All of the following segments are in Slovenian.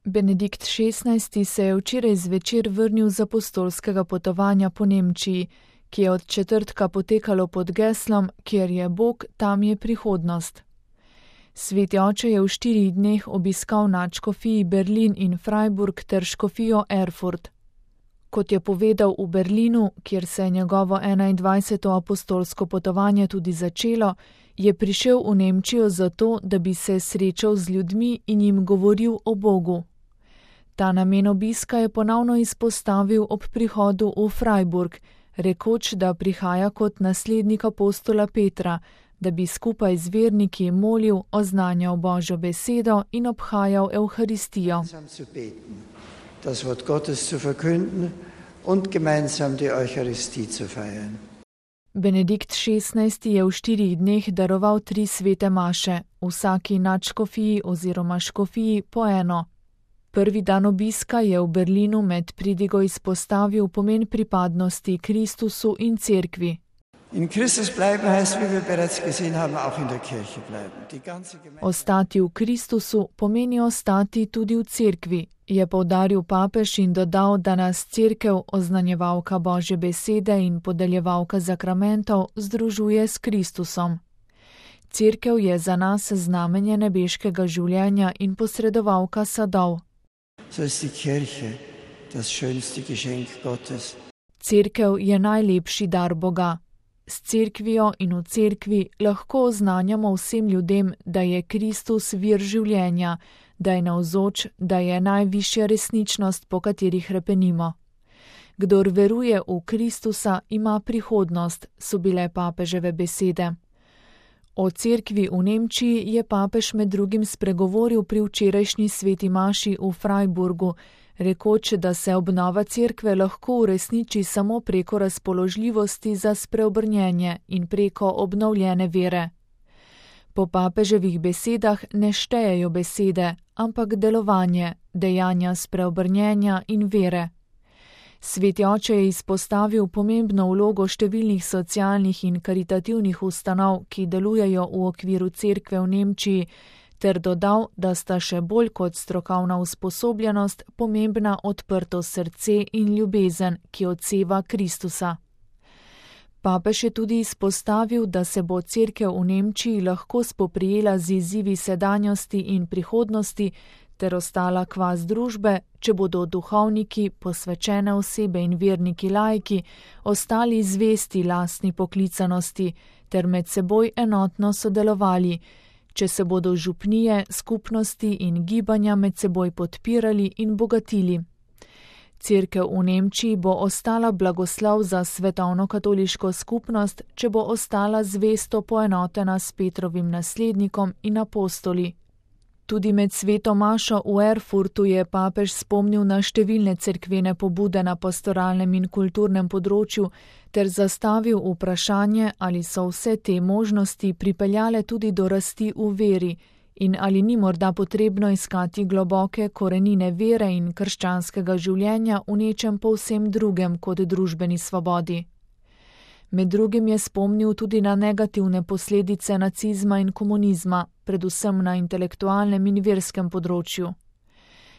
Benedikt XVI. Se je včeraj zvečer vrnil z apostolskega potovanja po Nemčiji, ki je od četrtka potekalo pod geslom Kjer je Bog, tam je prihodnost. Sveti oče je v 4 dneh obiskal nadškofiji Berlin in Freiburg ter škofijo Erfurt. Kot je povedal v Berlinu, kjer se je njegovo 21. apostolsko potovanje tudi začelo, je prišel v Nemčijo zato, da bi se srečal z ljudmi in jim govoril o Bogu. Ta namen obiska je ponovno izpostavil ob prihodu v Freiburg, rekoč, da prihaja kot naslednik apostola Petra, da bi skupaj z verniki molil, oznanjal Božjo besedo in obhajal Evharistijo. Das Wort Gottes zu verkünden und gemeinsam die Eucharistie zu feiern. Benedikt XVI. Je v 4 dneh daroval 3 svete maše, vsaki nadškofiji oziroma škofiji po eno. Prvi dan obiska je v Berlinu med pridigo izpostavil pomen pripadnosti Kristusu in cerkvi. In Christus bleiben heißt, wie wir bereits gesehen haben, auch in der Kirche bleiben. Ostati v Kristusu pomeni ostati tudi v cerkvi, je poudaril papež in dodal, da nas cerkev, oznanjevalka Božje besede in podeljevalka zakramentov, združuje s Kristusom. Cerkev je za nas znamenje nebeškega življenja in posredovalka sadov. So ist die Kirche das schönste Geschenk Gottes. Cerkev je najlepši dar Boga. S cerkvijo in v cerkvi lahko oznanjamo vsem ljudem, da je Kristus vir življenja, da je navzoč, da je najvišja resničnost, po kateri hrepenimo. Kdor veruje v Kristusa, ima prihodnost, so bile papeževe besede. O cerkvi v Nemčiji je papež med drugim spregovoril pri včerajšnji sveti maši v Freiburgu, rekoč, da se obnova cerkve lahko uresniči samo preko razpoložljivosti za spreobrnjenje in preko obnovljene vere. Po papeževih besedah ne štejejo besede, ampak delovanje, dejanja spreobrnjenja in vere. Sveti oče je izpostavil pomembno vlogo številnih socialnih in karitativnih ustanov, ki delujejo v okviru cerkve v Nemčiji, ter dodal, da sta še bolj kot strokovna usposobljenost pomembna odprto srce in ljubezen, ki odseva Kristusa. Papež je tudi izpostavil, da se bo cerkev v Nemčiji lahko spoprijela z izzivi sedanjosti in prihodnosti ter ostala kvas družbe, če bodo duhovniki, posvečene osebe in verniki laiki ostali zvesti lastni poklicanosti ter med seboj enotno sodelovali, če se bodo župnije, skupnosti in gibanja med seboj podpirali in bogatili. Cerkev v Nemčiji bo ostala blagoslov za svetovno katoliško skupnost, če bo ostala zvesto poenotena s Petrovim naslednikom in apostoli. Tudi med sveto mašo v Erfurtu je papež spomnil na številne cerkvene pobude na pastoralnem in kulturnem področju ter zastavil vprašanje, ali so vse te možnosti pripeljale tudi do rasti v veri in ali ni morda potrebno iskati globoke korenine vere in krščanskega življenja v nečem povsem drugem kot družbeni svobodi. Med drugim je spomnil tudi na negativne posledice nacizma in komunizma, predvsem na intelektualnem in verskem področju.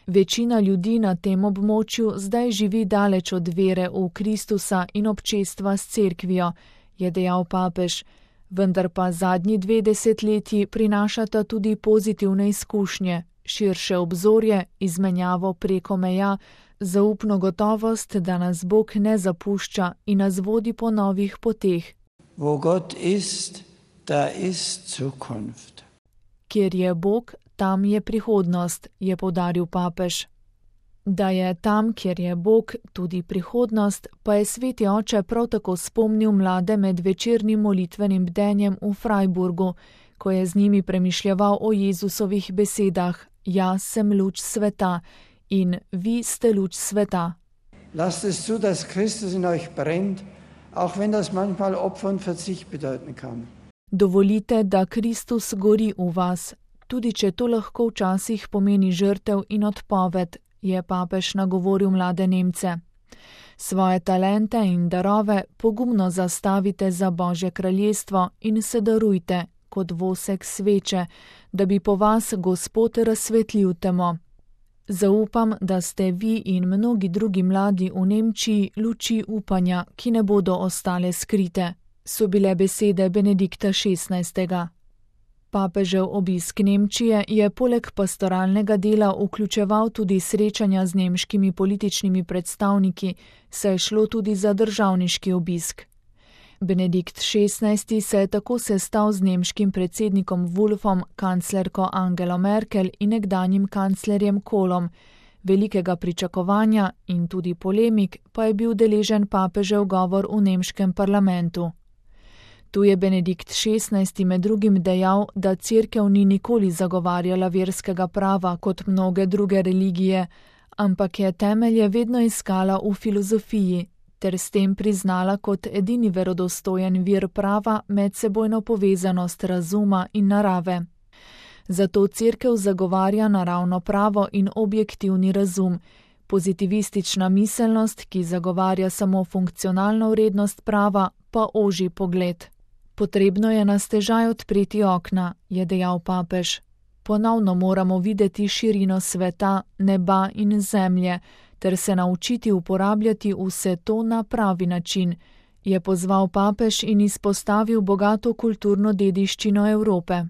Večina ljudi na tem območju zdaj živi daleč od vere v Kristusa in občestva s cerkvijo, je dejal papež, vendar pa zadnji 2 desetletji prinašata tudi pozitivne izkušnje, širše obzorje, izmenjavo preko meja, zaupno gotovost, da nas Bog ne zapušča in nas vodi po novih poteh. Wo Gott ist, da ist Zukunft. Kjer je Bog, tam je prihodnost, je poudaril papež. Da je tam, kjer je Bog, tudi prihodnost, pa je sveti oče prav tako spomnil mlade med večernim molitvenim bdenjem v Freiburgu, ko je z njimi premišljeval o Jezusovih besedah: Jaz sem luč sveta in vi ste luč sveta. Lasst es zu, dass Christus in euch brennt, auch wenn das manchmal Opfer und Verzicht bedeuten kann. Dovolite, da Kristus gori v vas, tudi če to lahko včasih pomeni žrtev in odpoved, je papež nagovoril mlade Nemce. Svoje talente in darove pogumno zastavite za Božje kraljestvo in se darujte kot vosek sveče, da bi po vas Gospod razsvetlil temo. Zaupam, da ste vi in mnogi drugi mladi v Nemčiji luči upanja, ki ne bodo ostale skrite, so bile besede Benedikta XVI. Papežev obisk Nemčije je poleg pastoralnega dela vključeval tudi srečanja z nemškimi političnimi predstavniki, saj je šlo tudi za državniški obisk. Benedikt XVI se je tako sestal z nemškim predsednikom Wolfom, kanclerko Angelo Merkel in nekdanjim kanclerjem Kohlom. Velikega pričakovanja in tudi polemik pa je bil deležen papežev govor v nemškem parlamentu. Tu je Benedikt XVI med drugim dejal, da cerkev ni nikoli zagovarjala verskega prava kot mnoge druge religije, ampak je temelje vedno iskala v filozofiji, ter s tem priznala kot edini verodostojen vir prava medsebojno povezanost razuma in narave. Zato cerkev zagovarja naravno pravo in objektivni razum, pozitivistična miselnost, ki zagovarja samo funkcionalno vrednost prava, pa oži pogled. Potrebno je na stežaj odpreti okna, je dejal papež. Ponovno moramo videti širino sveta, neba in zemlje, ter se naučiti uporabljati vse to na pravi način, je pozval papež in izpostavil bogato kulturno dediščino Evrope.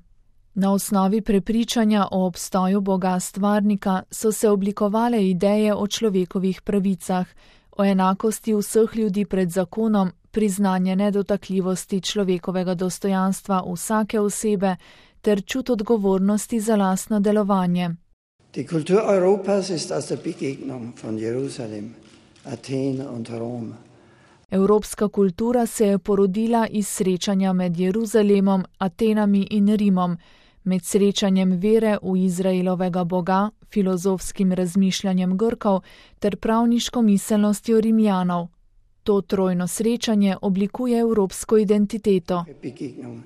Na osnovi prepričanja o obstoju Boga stvarnika so se oblikovale ideje o človekovih pravicah, o enakosti vseh ljudi pred zakonom, priznanje nedotakljivosti človekovega dostojanstva vsake osebe ter čut odgovornosti za lastno delovanje. Die Kultur Europas ist aus der Begegnung von Jerusalem, Athen und Rom. Evropska kultura se je porodila iz srečanja med Jeruzalemom, Atenami in Rimom, med srečanjem vere v Izraelovega Boga, filozofskim razmišljanjem Grkov ter pravniško miselnostjo Rimljanov. To trojno srečanje oblikuje evropsko identiteto. Begegnung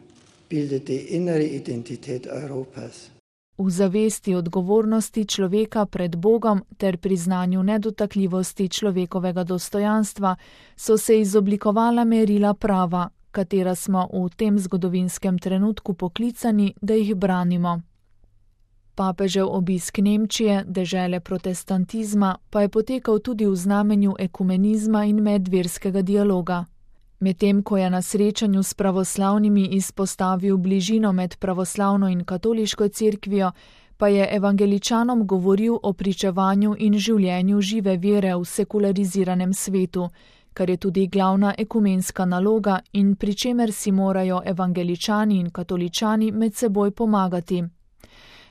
bildet die innere Identität Europas. V zavesti odgovornosti človeka pred Bogom ter priznanju nedotakljivosti človekovega dostojanstva so se izoblikovala merila prava, katera smo v tem zgodovinskem trenutku poklicani, da jih branimo. Papežev obisk Nemčije, dežele protestantizma, pa je potekal tudi v znamenju ekumenizma in medverskega dialoga. Medtem ko je na srečanju s pravoslavnimi izpostavil bližino med pravoslavno in katoliško cerkvijo, pa je evangeličanom govoril o pričevanju in življenju žive vere v sekulariziranem svetu, kar je tudi glavna ekumenska naloga in pri čemer si morajo evangeličani in katoličani med seboj pomagati.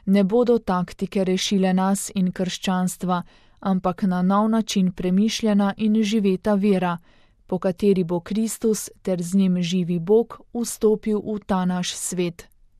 Ne bodo taktike rešile nas in krščanstva, ampak na nov način premišljena in živeta vera, po kateri bo Kristus ter z njim živi Bog vstopil v ta naš svet.